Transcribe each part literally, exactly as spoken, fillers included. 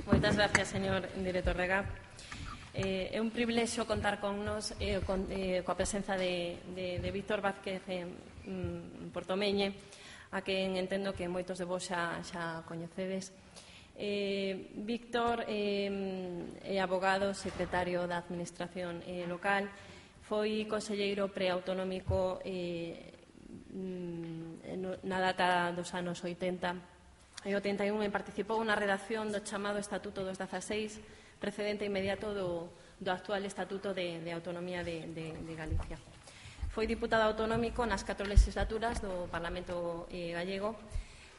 Moitas gracias, señor director Rega. Eh, é un privilexio contar con nos eh, con, eh, coa presenza de, de, de Víctor Vázquez eh, Portomeñe, a quen entendo que moitos de vos xa, xa coñecedes. Eh, Víctor eh, é abogado, secretario da Administración eh, local, foi conselleiro preautonómico eh, na data dos anos oitenta e oitenta e un e participou na redacción do chamado Estatuto dos dezaseis, precedente inmediato do, do actual Estatuto de, de Autonomía de, de, de Galicia. Foi diputado autonómico nas catro legislaturas do Parlamento eh, gallego,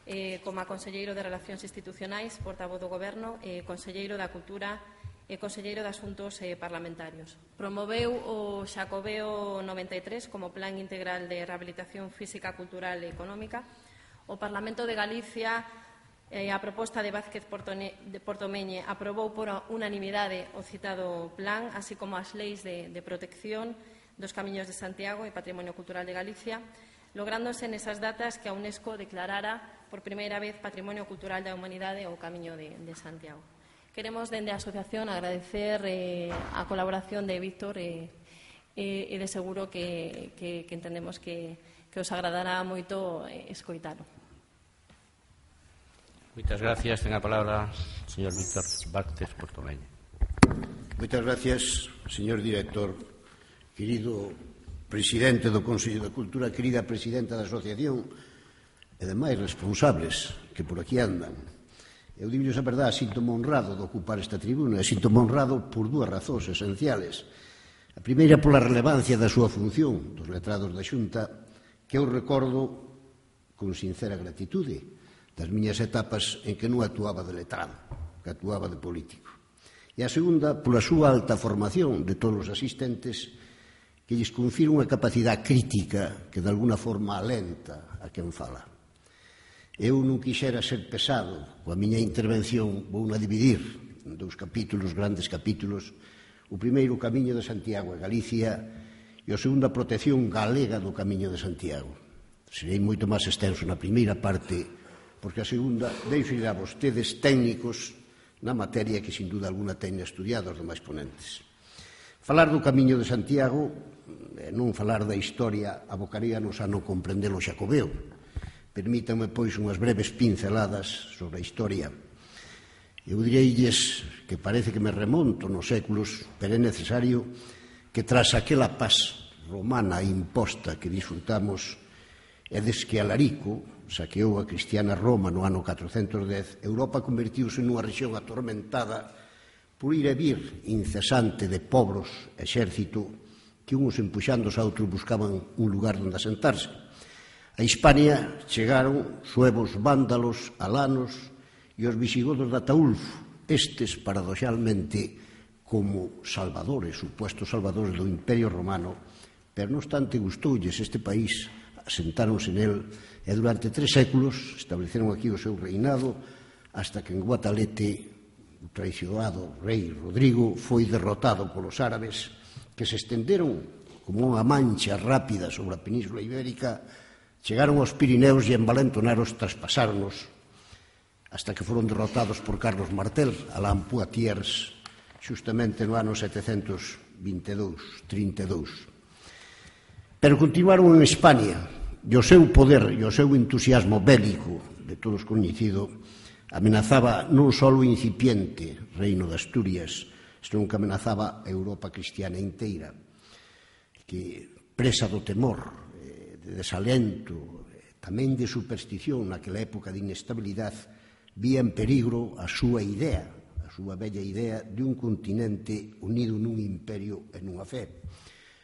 eh, como a conselleiro de Relacións Institucionais, portavoz do Goberno, eh, conselleiro da Cultura e conselleiro de Asuntos eh, Parlamentarios. Promoveu o Xacobeo noventa e tres como Plan Integral de Rehabilitación Física, Cultural e Económica. O Parlamento de Galicia, eh, a proposta de Vázquez de Portomeñe, aprobou por unanimidade o citado plan, así como as leis de, de protección dos Camiños de Santiago e Patrimonio Cultural de Galicia, lográndose nesas datas que a UNESCO declarara por primeira vez Patrimonio Cultural da Humanidade o Camiño de, de Santiago. Queremos, dende a asociación, agradecer eh, a colaboración de Víctor e eh, eh, de seguro que, que, que entendemos que, que os agradará moito eh, escoitalo. Moitas gracias. Ten a palabra o señor Víctor Vázquez Portomeñe. Moitas gracias, señor director, querido presidente do Consello de Cultura, querida presidenta da asociación e demais responsables que por aquí andan. Eu digo-lles a verdade, síntome honrado de ocupar esta tribuna, e síntome honrado por dúas razóns esenciales. A primeira, pola relevancia da súa función dos letrados da Xunta, que eu recordo con sincera gratitude das miñas etapas en que non actuaba de letrado, que actuaba de político. E a segunda, pola súa alta formación de todos os asistentes, que lles confira unha capacidade crítica que de alguna forma alenta a quen fala. Eu non quixera ser pesado coa miña intervención, vou na dividir en dous capítulos, grandes capítulos. O primeiro, o Camiño de Santiago e Galicia, e o segundo, a protección galega do Camiño de Santiago. Serei moito máis extenso na primeira parte, porque a segunda deixo a vostedes técnicos na materia que sin duda alguna teñen estudiado os demais ponentes. Falar do Camiño de Santiago e non falar da historia abocaríanos a non comprender o Xacobeo. Permítanme, pois, unhas breves pinceladas sobre a historia. Eu direilles que parece que me remonto nos séculos, pero é necesario que tras aquela paz romana imposta que disfrutamos e des que Alarico saqueou a cristiana Roma no ano catrocentos dez, Europa convertiuse nunha rexión atormentada por ir e vir incesante de pobros exército que uns empuxando os outros buscaban un lugar onde asentarse. A Hispania chegaron suevos vándalos, alanos e os visigodos de Ataulfo, estes paradoxalmente como salvadores, supuestos salvadores do Imperio Romano, pero non obstante gustoulles este país, asentáronse nel e durante tres séculos estableceron aquí o seu reinado hasta que en Guatalete o traicionado rei Rodrigo foi derrotado polos árabes que se estenderon como unha mancha rápida sobre a Península Ibérica. Chegaron aos Pirineos e envalentonaros traspasáronos hasta que foron derrotados por Carlos Martel, Alain Poitiers, xustamente no ano setecentos vinte e dous, trinta e dous. Pero continuaron en Hispania e o seu poder e o seu entusiasmo bélico, de todos coñecido, amenazaba non só o incipiente reino de Asturias, senón que amenazaba a Europa cristiana inteira, que presa do temor, de desalento, tamén de superstición naquela época de inestabilidade, vía en peligro a súa idea, a súa bella idea de un continente unido nun imperio e nunha fe.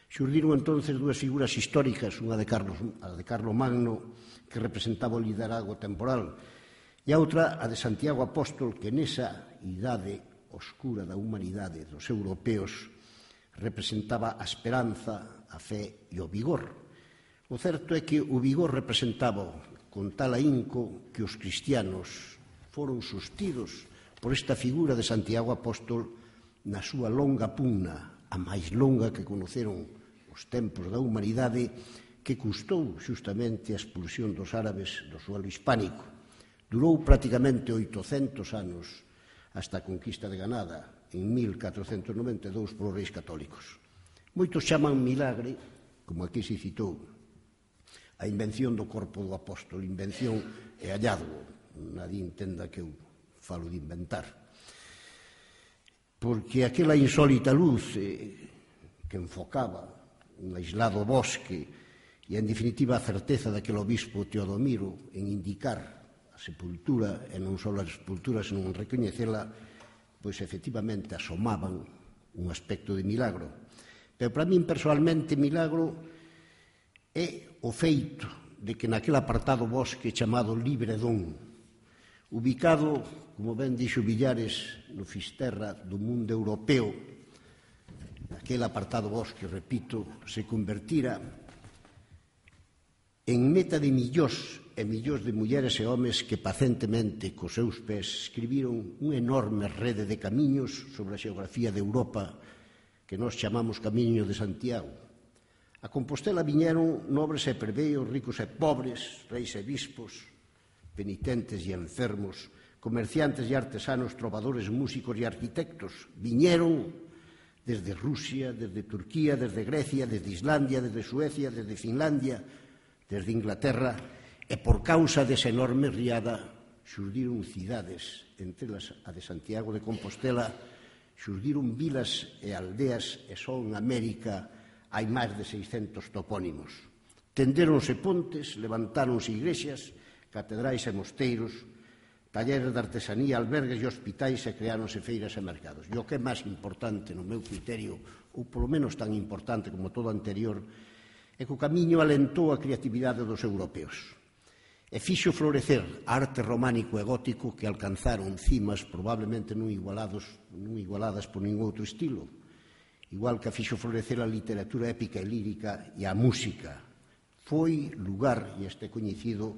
Xurdiron entonces dúas figuras históricas, unha de Carlos, a de Carlos Magno, que representaba o liderazgo temporal, e a outra a de Santiago Apóstol, que nesa idade oscura da humanidade dos europeos representaba a esperanza, a fe e o vigor. O certo é que o vigor representaba con tal ahínco que os cristianos foron sustidos por esta figura de Santiago Apóstol na súa longa pugna, a máis longa que conoceron os tempos da humanidade, que custou xustamente a expulsión dos árabes do suelo hispánico. Durou praticamente oitocentos anos hasta a conquista de Granada en mil catrocentos noventa e dous polos reis católicos. Moitos chaman milagre, como aquí se citou, a invención do corpo do apóstolo, invención e hallazgo. Nadie entenda que eu falo de inventar. Porque aquela insólita luz eh, que enfocaba un aislado bosque e, en definitiva, a certeza daquele obispo Teodomiro en indicar a sepultura, e non só a sepultura, senón recoñecela, pois efectivamente asomaban un aspecto de milagro. Pero para min, personalmente, milagro é o feito de que naquele apartado bosque chamado Libredón, ubicado, como ben dixo Villares, no Fisterra do mundo europeo, aquele apartado bosque, repito, se convertira en meta de millóns e millóns de mulleres e homes que pacentemente, cos seus pés, escribiron unha enorme rede de camiños sobre a xeografía de Europa que nós chamamos Camiño de Santiago. A Compostela viñeron nobres e plebeios, ricos e pobres, reis e bispos, penitentes e enfermos, comerciantes e artesanos, trovadores, músicos e arquitectos. Viñeron desde Rusia, desde Turquía, desde Grecia, desde Islandia, desde Suecia, desde Finlandia, desde Inglaterra, e por causa desa enorme riada xurdiron cidades, entre elas a de Santiago de Compostela, xurdiron vilas e aldeas, e só en América hai máis de seiscentos topónimos. Tendéronse pontes, levantáronse igrexas, catedrais e mosteiros, talleres de artesanía, albergues e hospitais, e creáronse feiras e mercados. E o que é máis importante, no meu criterio, ou polo menos tan importante como todo o anterior, é que o camiño alentou a creatividade dos europeos e fixo florecer a arte románico e gótico que alcanzaron cimas probablemente non igualados, non igualadas por ningún outro estilo, igual que a fixo florecer a literatura épica e lírica e a música. Foi lugar, e este coñecido,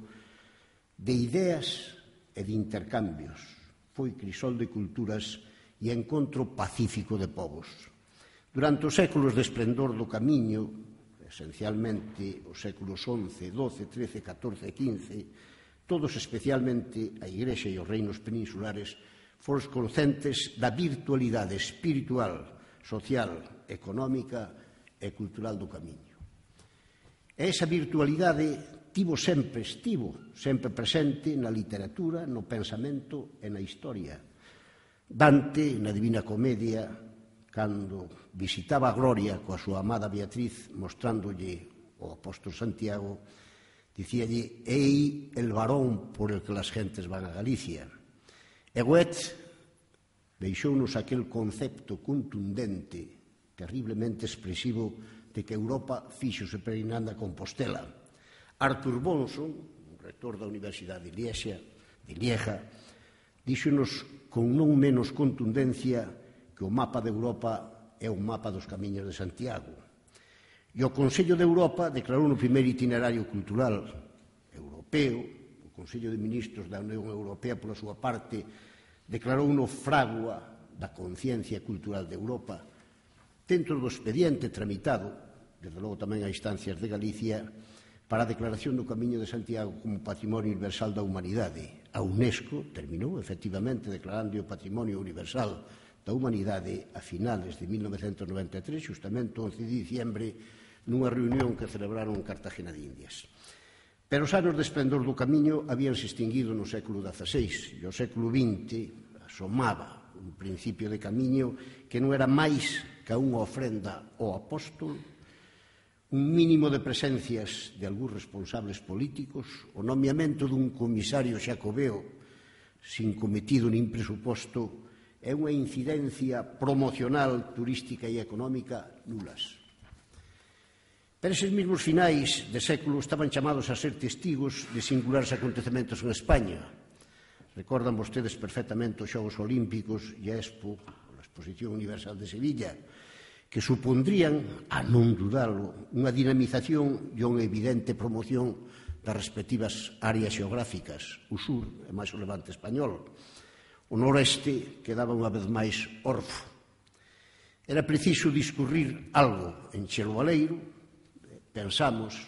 de ideas e de intercambios. Foi crisol de culturas e encontro pacífico de povos. Durante os séculos de esplendor do camiño, esencialmente os séculos once, doce, trece, catorce e quince, todos especialmente a Igrexa e os reinos peninsulares foron conscientes da virtualidade espiritual, social, económica e cultural do camiño. E esa virtualidade tivo sempre, estivo sempre presente na literatura, no pensamento e na historia. Dante, na Divina Comedia, cando visitaba a Gloria coa súa amada Beatriz, mostrándolle o apóstolo Santiago, dicíalle: «Ei el varón por el que las gentes van a Galicia». E Goethe deixounos aquel concepto contundente, terriblemente expresivo, de que Europa fíxose peregrinando a Compostela. Arthur Bonson, rector da Universidade de Lieja, de Lieja, díxonos con non menos contundencia que o mapa de Europa é un mapa dos camiños de Santiago. E o Consello de Europa declarou no primeiro itinerario cultural europeo, o Consello de Ministros da Unión Europea, pola súa parte, declarou no fragua da conciencia cultural de Europa, dentro do expediente tramitado, desde logo tamén a instancias de Galicia, para a declaración do Camiño de Santiago como Patrimonio Universal da Humanidade. A UNESCO terminou, efectivamente, declarando o Patrimonio Universal da Humanidade a finales de mil novecentos noventa e tres, justamente o once de diciembre, nunha reunión que celebraron en Cartagena de Indias. Pero os anos de esplendor do camiño habíanse extinguido no século dieciséis, e o século vinte asomaba un principio de camiño que non era máis que unha ofrenda ao apóstolo, un mínimo de presencias de algúns responsables políticos, o nomeamento dun comisario xacobeo sin cometido nin presuposto, é unha incidencia promocional, turística e económica nulas. Pero eses mesmos finais de século estaban chamados a ser testigos de singulares acontecementos en España. Recordan vostedes perfectamente os Xogos Olímpicos e a Expo, a Exposición Universal de Sevilla, que supondrían, a non dudalo, unha dinamización e unha evidente promoción das respectivas áreas xeográficas, o sur e máis o levante español. O noreste quedaba unha vez máis orfo. Era preciso discurrir algo en Chelo Baleiro, pensamos,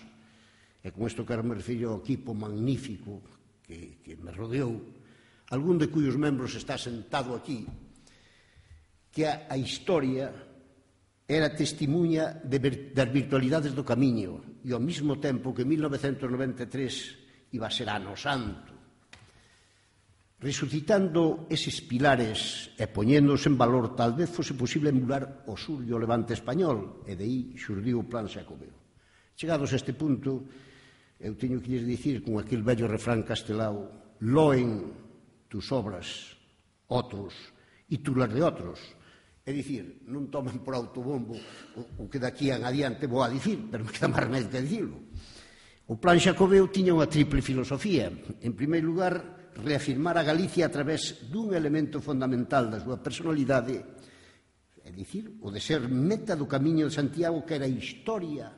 e con isto quero me referir ao equipo magnífico que, que me rodeou, algún de cuyos membros está sentado aquí, que a, a historia era testimuña de vir, das virtualidades do camiño e ao mesmo tempo que en mil novecentos noventa e tres iba a ser ano santo. Resucitando eses pilares e poñéndose en valor, tal vez fose posible emular o sur e o levante español, e de aí xurdiu o Plan Xacobeo. Chegados a este punto, eu teño que lles dicir con aquel vello refrán castelao: loen tus obras outros e tú las de outros. É dicir, non tomen por autobombo o que daqui en adiante vou a dicir, pero me queda máis remedio que dicirlo. O Plan Xacobeo tiña unha triple filosofía. En primeiro lugar, reafirmar a Galicia a través dun elemento fundamental da súa personalidade, é dicir, o de ser meta do Camiño de Santiago, que era a historia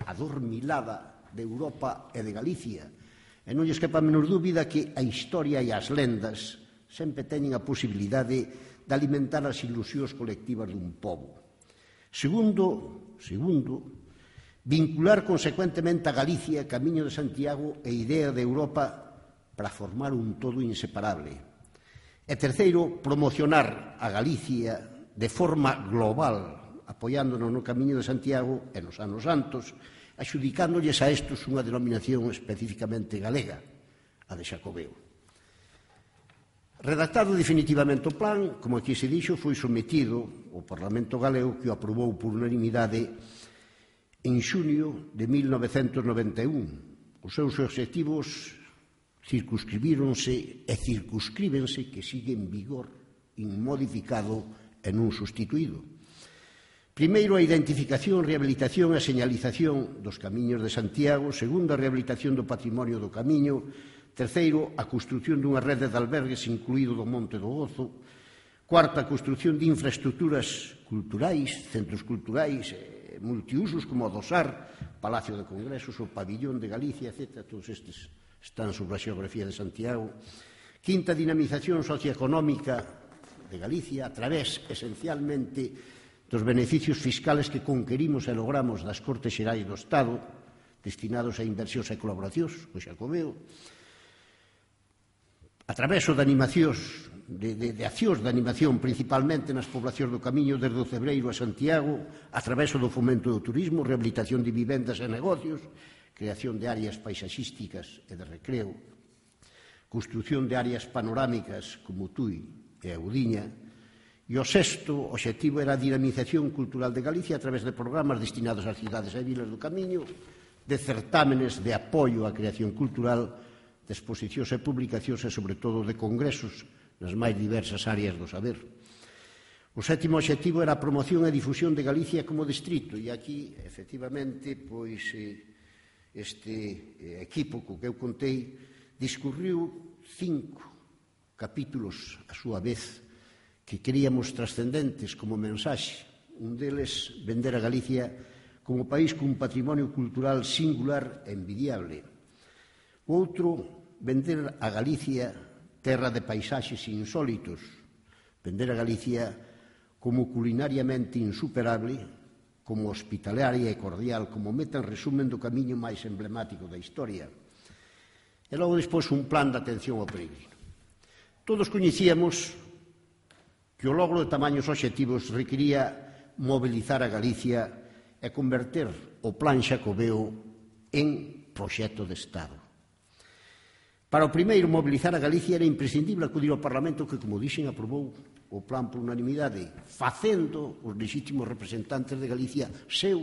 adormilada de Europa e de Galicia. E non lles quepa a menor dúbida que a historia e as lendas sempre teñen a posibilidade de alimentar as ilusións colectivas dun pobo. Segundo, segundo, vincular consecuentemente a Galicia, Camiño de Santiago e idea de Europa para formar un todo inseparable. E terceiro, promocionar a Galicia de forma global, apoiándonos no Camiño de Santiago e nos anos santos, axudicándolles a estos unha denominación especificamente galega, a de Xacobeo. Redactado definitivamente o plan, como aquí se dixo, foi sometido ao Parlamento galego, que o aprobou por unanimidade en xunio de mil novecentos noventa e un. Os seus obxectivos circunscribíronse e circunscríbense, que sigue en vigor, inmodificado e non sustituído. Primeiro, a identificación, rehabilitación e señalización dos camiños de Santiago. Segundo, a rehabilitación do patrimonio do camiño. Terceiro, a construción dunha rede de albergues incluído do Monte do Gozo. Cuarto, a construción de infraestructuras culturais, centros culturais e multiusos como o do S A R, Palacio de Congresos, o Pabillón de Galicia, etcétera. Todos estes están sobre a xeografía de Santiago. Quinta, dinamización socioeconómica de Galicia a través, esencialmente, dos beneficios fiscales que conquerimos e logramos das Cortes Xerais do Estado, destinados a inversións e colaboracións, o Xacobeo. A través de animacións, de, de, de accións de animación principalmente nas poblacións do Camiño desde o Cebreiro a Santiago, a través do fomento do turismo, rehabilitación de vivendas e negocios, creación de áreas paisaxísticas e de recreo, construción de áreas panorámicas como Tui e Audiña, e o sexto obxectivo era a dinamización cultural de Galicia a través de programas destinados ás cidades e vilas do Camiño, de certámenes de apoio á creación cultural, de exposicións e publicacións e, sobre todo, de congresos nas máis diversas áreas do saber. O sétimo obxectivo era a promoción e difusión de Galicia como distrito, e aquí, efectivamente, pois, este equipo co que eu contei discurriu cinco capítulos a súa vez que queríamos trascendentes como mensaxe. Un deles, vender a Galicia como país cun patrimonio cultural singular e envidiable. O outro, vender a Galicia terra de paisaxes insólitos, vender a Galicia como culinariamente insuperable, como hospitalaria e cordial, como meta en resumen do camiño máis emblemático da historia. E logo despois un plan de atención ao peregrino. Todos coñecíamos que o logro de tamaños obxectivos requería mobilizar a Galicia e converter o Plan Xacobeo en proxecto de Estado. Para o primeiro, mobilizar a Galicia, era imprescindible acudir ao Parlamento que, como dixen, aprobou o plan por unanimidade, facendo os legítimos representantes de Galicia seu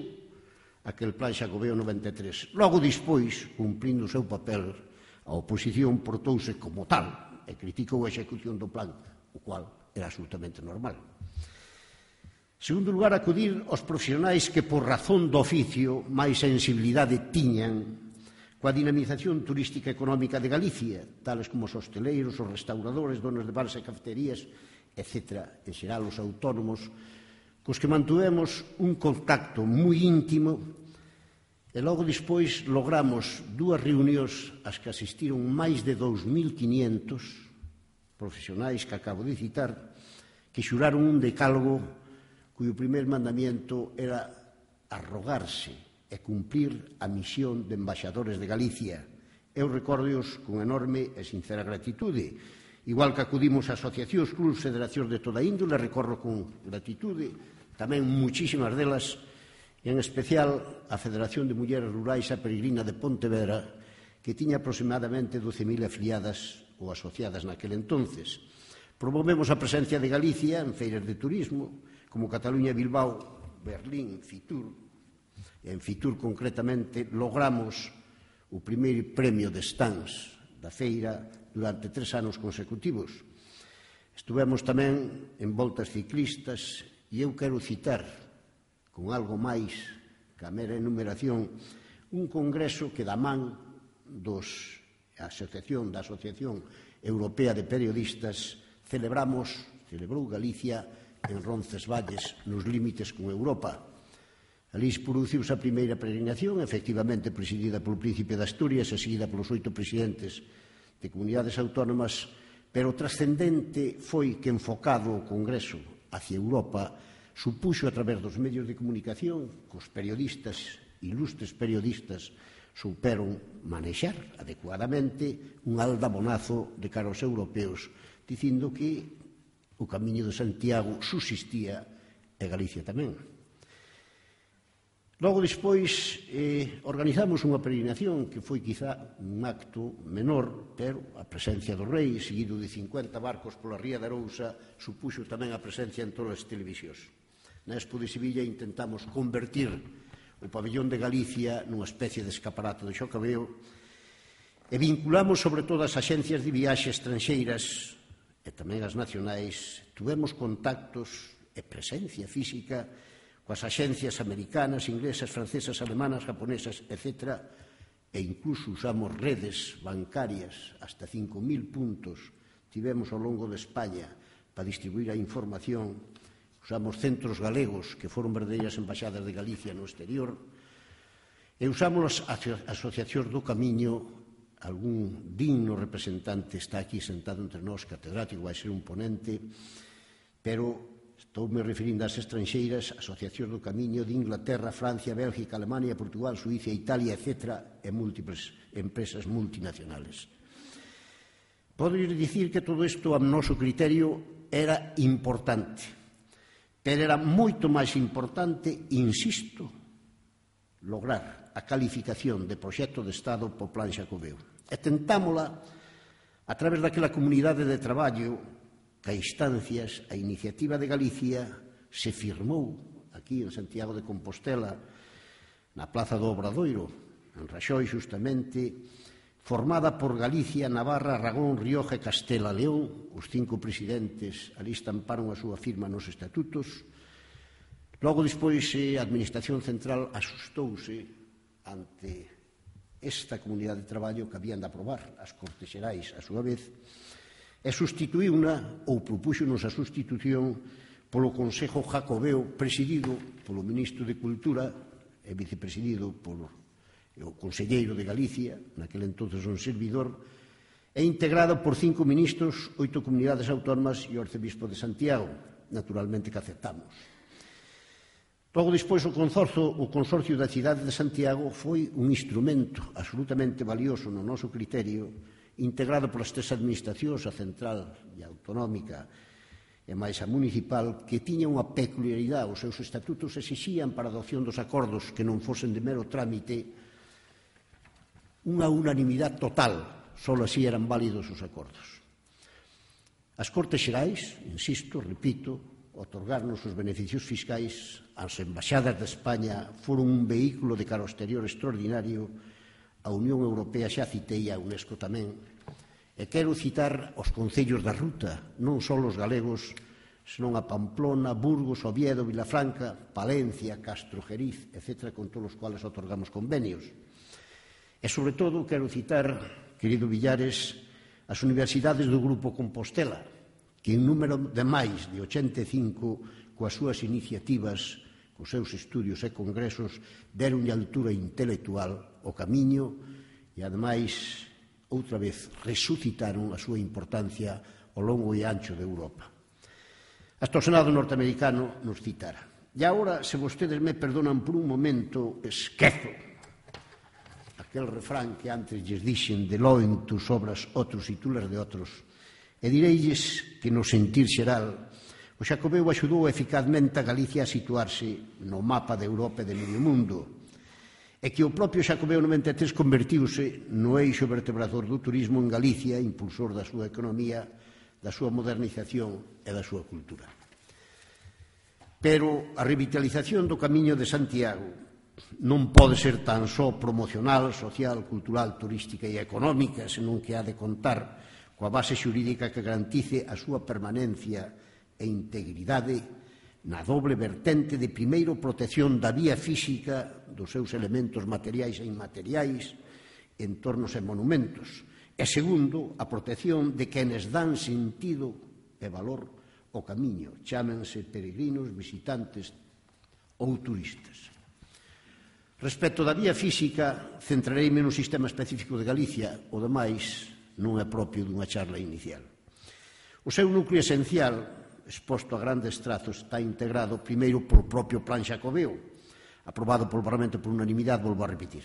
aquel Plan Xacobeo noventa e tres. Logo despois, cumprindo o seu papel, a oposición portouse como tal e criticou a execución do plan, o cual era absolutamente normal. En segundo lugar, acudir aos profesionais que, por razón do oficio, máis sensibilidade tiñan coa dinamización turística e económica de Galicia, tales como os hosteleiros, os restauradores, donos de bares e cafeterías, etcétera, en xeral os autónomos, cos que mantuvemos un contacto moi íntimo e logo despois logramos dúas reunións ás que asistiron máis de dous mil quinientos profesionais que acabo de citar, que xuraron un decálogo cuyo primer mandamiento era arrogarse e cumplir a misión de embaixadores de Galicia. Eu recórdoos con enorme e sincera gratitude Igual que acudimos a asociacións, clubs, federacións de toda índole, recorro con gratitude, tamén muchísimas delas, en especial a Federación de Mulleres Rurais a Peregrina de Pontevedra, que tiña aproximadamente doce mil afiliadas ou asociadas naquel entonces. Promovemos a presencia de Galicia en feiras de turismo, como Cataluña, Bilbao, Berlín, Fitur. En Fitur, concretamente, logramos o primeiro premio de stands da feira durante tres anos consecutivos. Estuvemos tamén en voltas ciclistas e eu quero citar, con algo máis que a mera enumeración, un congreso que da man dos asociación, da Asociación Europea de Periodistas celebramos, celebrou Galicia en Roncesvalles, nos límites con Europa. Alí produciuse a primeira peregrinación, efectivamente presidida polo Príncipe de Asturias e seguida polos oito presidentes de comunidades autónomas, pero o trascendente foi que, enfocado o Congreso hacia Europa, supuxo a través dos medios de comunicación que os periodistas, ilustres periodistas, souperon manexar adecuadamente un aldabonazo de cara aos europeos, dicindo que o Camiño de Santiago subsistía e Galicia tamén. Logo, despois, eh, organizamos unha peregrinación que foi quizá un acto menor, pero a presencia do rei, seguido de cincuenta barcos pola ría de Arousa, supuxo tamén a presencia en todas as televisións. Na Expo de Sevilla intentamos convertir o pabellón de Galicia nunha especie de escaparate de Xocabeo e vinculamos sobre todo as axencias de viaxe estranxeiras e tamén as nacionais. Tuvemos contactos e presencia física coas axencias americanas, inglesas, francesas, alemanas, japonesas, etcétera, e incluso usamos redes bancarias, hasta cinco mil puntos tivemos ao longo de España para distribuir a información. Usamos centros galegos que foron verdadeiras embaixadas de Galicia no exterior e usamos as asociacións do Camiño. Algún digno representante está aquí sentado entre nós, catedrático, vai ser un ponente, pero estou me referindo ás estranxeiras, asociacións do Camiño de Inglaterra, Francia, Bélgica, Alemania, Portugal, Suiza, Italia, etcétera, e múltiples empresas multinacionales. Podo dicir que todo isto, a noso criterio, era importante, pero era moito máis importante, insisto, lograr a calificación de proxecto de Estado po Plan Xacobeo. E tentámola a través daquela comunidade de traballo que a instancias, a iniciativa de Galicia se firmou aquí en Santiago de Compostela, na Plaza do Obradoiro, en Raxoi, justamente, formada por Galicia, Navarra, Aragón, Rioja e Castela León. Os cinco presidentes ali estamparon a súa firma nos estatutos. Logo, despois, a Administración Central asustouse ante esta comunidade de traballo que habían de aprobar as Cortes Xerais a súa vez, e sustituíuna, ou propúxonos a sustitución, polo Consello Xacobeo, presidido polo Ministro de Cultura e vicepresidido polo o Conselleiro de Galicia, naquele entonces un servidor, e integrado por cinco ministros, oito comunidades autónomas e o Arcebispo de Santiago, naturalmente que aceptamos. Logo, despois, o consorcio, o consorcio da cidade de Santiago foi un instrumento absolutamente valioso no noso criterio, integrado polas tres administracións, a central e a autonómica e máis a municipal, que tiña unha peculiaridade. Os seus estatutos exixían para a adopción dos acordos que non fosen de mero trámite unha unanimidade total, só así eran válidos os acordos. As Cortes Xerais, insisto, repito, otorgarnos os beneficios fiscais, as embaixadas de España foron un vehículo de cara ao exterior extraordinario, a Unión Europea xa citei, a UNESCO tamén, e quero citar os concellos da ruta, non só os galegos, senón a Pamplona, Burgos, Oviedo, Vilafranca, Palencia, Castro, Jeriz, etcétera, con todos os cuales otorgamos convenios. E, sobre todo, quero citar, querido Villares, as universidades do Grupo Compostela, que en número de máis de ochenta e cinco, coas súas iniciativas, cos seus estudios e congresos, deronlle altura intelectual ao Camiño e, ademais, outra vez, resucitaron a súa importancia ao longo e ancho de Europa. Hasta o Senado norteamericano nos citara. E agora, se vostedes me perdonan por un momento, esquezo aquel refrán que antes lles dixen de loen tus obras outros e tú las de outros, E direilles que no sentir xeral o Xacobeo axudou eficazmente a Galicia a situarse no mapa de Europa e de medio mundo, e que o propio Xacobeo noventa e tres convertiuse no eixo vertebrador do turismo en Galicia, impulsor da súa economía, da súa modernización e da súa cultura. Pero a revitalización do Camiño de Santiago non pode ser tan só promocional, social, cultural, turística e económica, senón que ha de contar coa base xurídica que garantice a súa permanencia e integridade na doble vertente de, primeiro, protección da vía física dos seus elementos materiais e inmateriais, entornos e monumentos, e, segundo, a protección de quenes dan sentido e valor ao camiño, chámense peregrinos, visitantes ou turistas. Respecto da vía física, centrareime no sistema específico de Galicia, o demais non é propio dunha charla inicial. O seu núcleo esencial, exposto a grandes trazos, está integrado primeiro polo propio Plan Xacobeo, aprobado polo Parlamento por unanimidade, volvo a repetir.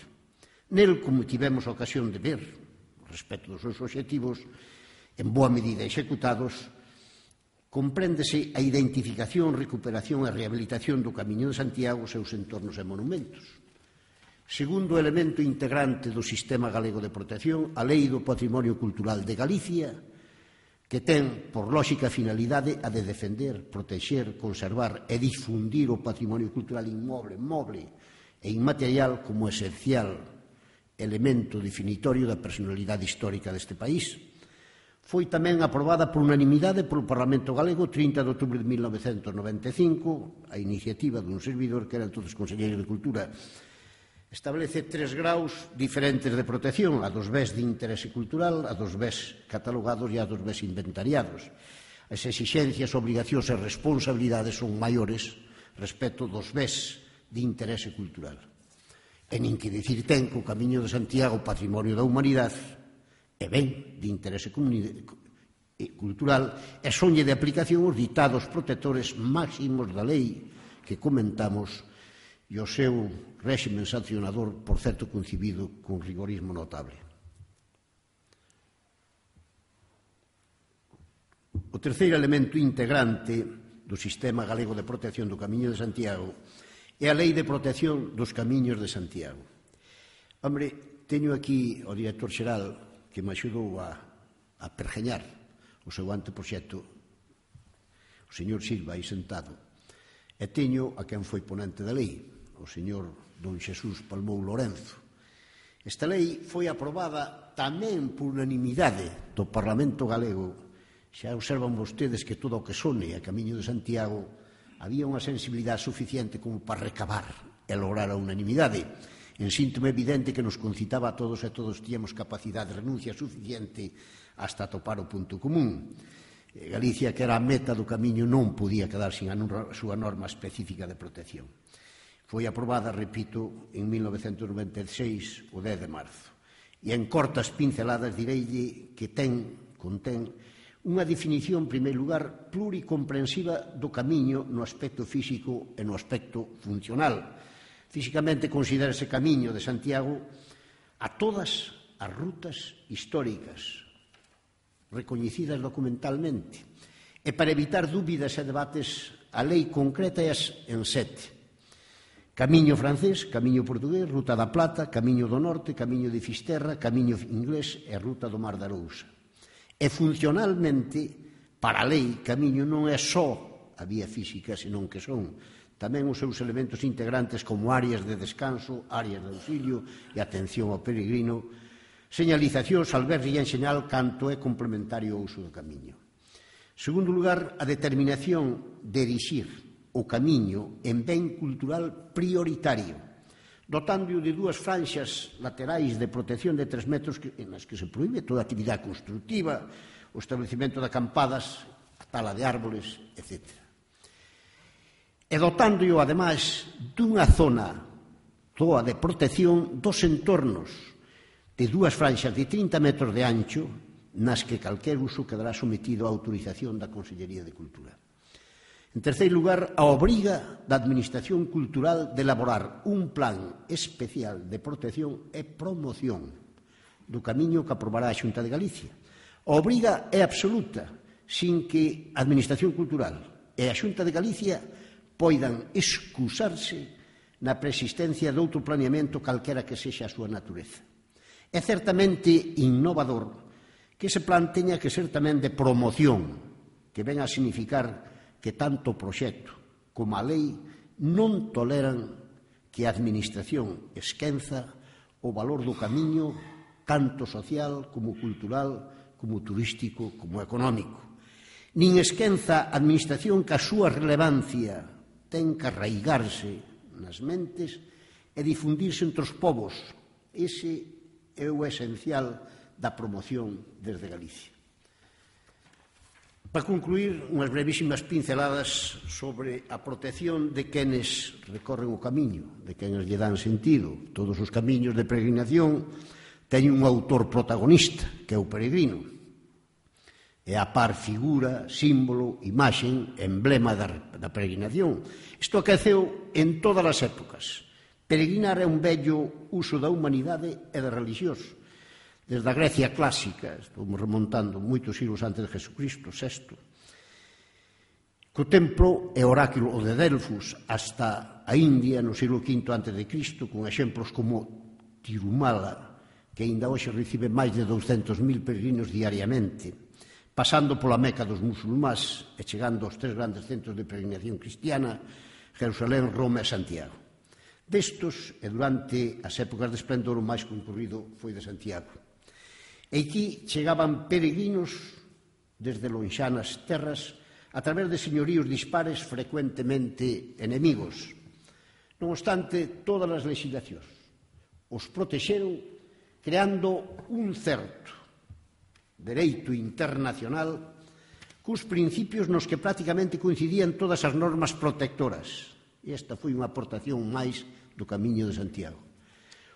Nel, como tivemos a ocasión de ver, respecto dos seus obxectivos, en boa medida executados, compréndese a identificación, recuperación e rehabilitación do Camiño de Santiago, seus entornos e monumentos. Segundo elemento integrante do Sistema Galego de Protección, a Lei do Patrimonio Cultural de Galicia, que ten por lóxica finalidade a de defender, protexer, conservar e difundir o patrimonio cultural inmoble, moble e inmaterial como esencial elemento definitorio da personalidade histórica deste país. Foi tamén aprobada por unanimidade polo Parlamento Galego trinta de outubro de mil novecentos noventa e cinco, a iniciativa dun servidor que era entonces conselleiro de Cultura. Establece tres graus diferentes de protección, a dos bens de interese cultural, a dos bens catalogados e a dos bens inventariados. As exixencias, obligacións e responsabilidades son maiores respecto dos bens de interese cultural. E nin que dicir ten que o Camiño de Santiago, patrimonio da humanidade, é ben de interese cultural e sonlle de aplicación os ditados protectores máximos da lei que comentamos e o seu réximen sancionador, por certo, concibido con rigorismo notable. O terceiro elemento integrante do Sistema Galego de Protección do Camiño de Santiago é a Lei de Protección dos Camiños de Santiago. Hombre, teño aquí o director xeral que me axudou a, a pergeñar o seu anteproxecto, o señor Silva, aí sentado, e teño a quen foi ponente da lei, o señor don Xesús Palmou Lorenzo. Esta lei foi aprobada tamén por unanimidade do Parlamento Galego. Xa observan vostedes que todo o que sone a Camiño de Santiago había unha sensibilidade suficiente como para recabar e lograr a unanimidade. En síntoma evidente que nos concitaba a todos e todos tíamos capacidade de renuncia suficiente hasta topar o punto común. Galicia, que era a meta do camiño, non podía quedar sin a súa norma específica de protección. Foi aprobada, repito, en mil novecentos noventa e seis, o dez de marzo. E en cortas pinceladas direille que ten, contén, unha definición, en primeiro lugar, pluricomprensiva do camiño no aspecto físico e no aspecto funcional. Físicamente considera ese Camiño de Santiago a todas as rutas históricas recoñecidas documentalmente. E para evitar dúbidas e debates, a lei concreta é en sete. Camiño francés, Camiño portugués, Ruta da Plata, Camiño do Norte, Camiño de Fisterra, Camiño inglés e Ruta do Mar da Arousa. E funcionalmente, para a lei, Camiño non é só a vía física, senón que son tamén os seus elementos integrantes como áreas de descanso, áreas de auxilio e atención ao peregrino, señalizacións, albergue e enxeñal canto é complementario ao uso do camiño. En segundo lugar, a determinación de erixir o camiño en ben cultural prioritario, dotando de dúas franxas laterais de protección de tres metros en as que se proíbe toda actividade constructiva, o establecimento de acampadas, a tala de árboles, etcétera. E dotando-o, ademais, dunha zona toda de protección dos entornos de dúas franxas de trinta metros de ancho nas que calquer uso quedará sometido á autorización da Consellería de Cultura. En terceiro lugar, a obriga da Administración Cultural de elaborar un plan especial de protección e promoción do camiño que aprobará a Xunta de Galicia, A obriga é absoluta, sin que a Administración Cultural e a Xunta de Galicia poidan excusarse na preexistencia de outro planeamento calquera que sexa a súa natureza. É certamente innovador que ese plan teña que ser tamén de promoción, que ven a significar que tanto o proxecto como a lei non toleran que a Administración esquenza o valor do camiño tanto social como cultural, como turístico, como económico. Nin esquenza a Administración que a súa relevancia ten que arraigarse nas mentes e difundirse entre os povos. Ese é o esencial da promoción desde Galicia. Para concluir, unhas brevísimas pinceladas sobre a protección de quenes recorren o camiño, de quenes lle dan sentido. Todos os camiños de peregrinación teñen un autor protagonista, que é o peregrino. É a par figura, símbolo, imaxen, emblema da, da peregrinación. Isto aqueceu en todas as épocas. Peregrinar é un vello uso da humanidade e da religioso. Desde a Grecia clásica, estamos remontando moitos siglos antes de Jesucristo, sexto, co templo e oráculo de Delfos hasta a India no siglo quinto antes de Cristo, con exemplos como Tirumala, que aínda hoxe recibe máis de douscentos mil peregrinos diariamente, pasando pola Meca dos musulmáns e chegando aos tres grandes centros de peregrinación cristiana, Jerusalén, Roma e Santiago. Destos, e durante as épocas de esplendor, o máis concurrido foi de Santiago. E aquí chegaban peregrinos desde lonxanas terras a través de señoríos dispares frecuentemente enemigos. Non obstante, todas as legislacións os protexeron creando un certo dereito internacional cus principios nos que prácticamente coincidían todas as normas protectoras. E esta foi unha aportación máis do Camiño de Santiago.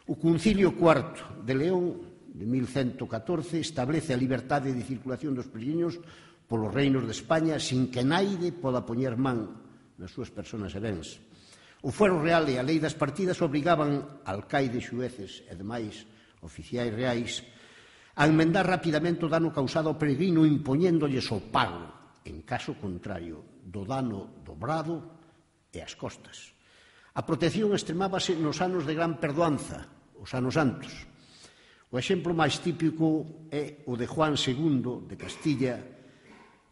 O Concilio cuarto de León de mil cento catorce establece a liberdade de circulación dos peregrinos polos reinos de España sin que naide poda poñer man nas súas persoas e bens. O fuero real e a lei das partidas obrigaban alcaides, xueces e demais oficiais reais a enmendar rapidamente o dano causado ao peregrino impoñéndolles o pago, en caso contrario, do dano dobrado e as costas. A protección extremábase nos anos de gran perdoanza, os anos santos. O exemplo máis típico é o de Juan segundo de Castilla,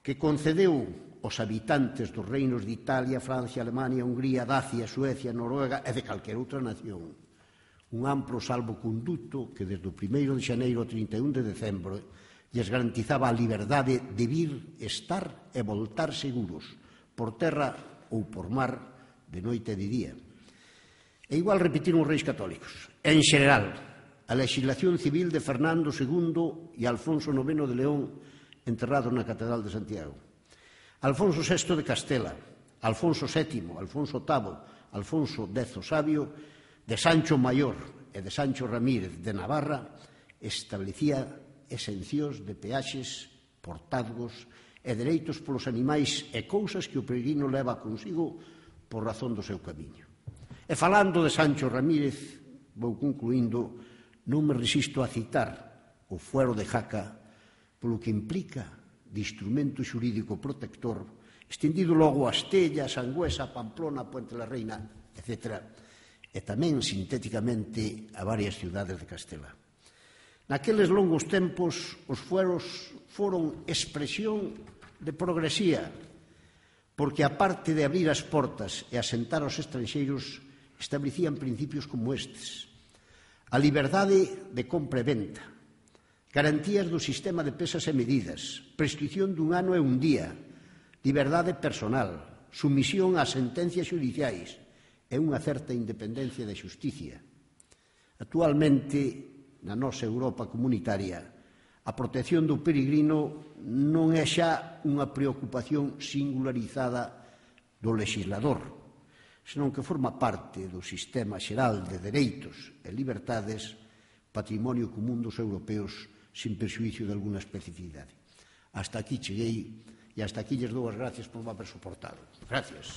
que concedeu aos habitantes dos reinos de Italia, Francia, Alemania, Hungría, Dacia, Suecia, Noruega e de calquera outra nación un amplo salvoconduto que desde o primeiro de xaneiro ao trinta e un de decembro lles garantizaba a liberdade de vir, estar e voltar seguros por terra ou por mar, de noite e de día. E igual repetiron os reis católicos. En xeral, a legislación civil de Fernando segundo e Alfonso noveno de León enterrados na Catedral de Santiago. Alfonso sexto de Castela, Alfonso sétimo, Alfonso octavo, Alfonso X o Sabio, de Sancho Maior e de Sancho Ramírez de Navarra, establecía exencións de peaxes, portazgos e dereitos polos animais e cousas que o peregrino leva consigo por razón do seu camiño. E falando de Sancho Ramírez, vou concluindo, non me resisto a citar o fuero de Jaca polo que implica de instrumento xurídico protector estendido logo a Estella, Sangüesa, Pamplona, Puente la Reina, etcétera, e tamén sintéticamente a varias ciudades de Castela. Naqueles longos tempos, os fueros foron expresión de progresía, porque aparte de abrir as portas e asentar aos estranxeiros, establecían principios como estes: a liberdade de compra e venta, garantías do sistema de pesas e medidas, prescripción dun ano e un día, liberdade personal, sumisión ás sentencias xudiciais e unha certa independencia de xusticia. Actualmente, na nosa Europa comunitaria, a protección do peregrino non é xa unha preocupación singularizada do legislador, senón que forma parte do sistema xeral de dereitos e libertades, patrimonio común dos europeos, sin perxuízo de alguna especificidade. Hasta aquí cheguei e hasta aquí lles dou as gracias por me haber soportado. Gracias.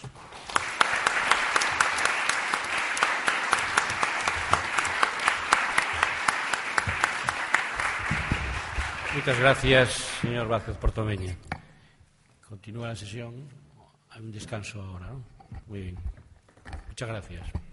Muchas gracias, señor Vázquez Portomeñe. Continúa la sesión. Hay un descanso ahora, ¿no? Muy bien. Muchas gracias.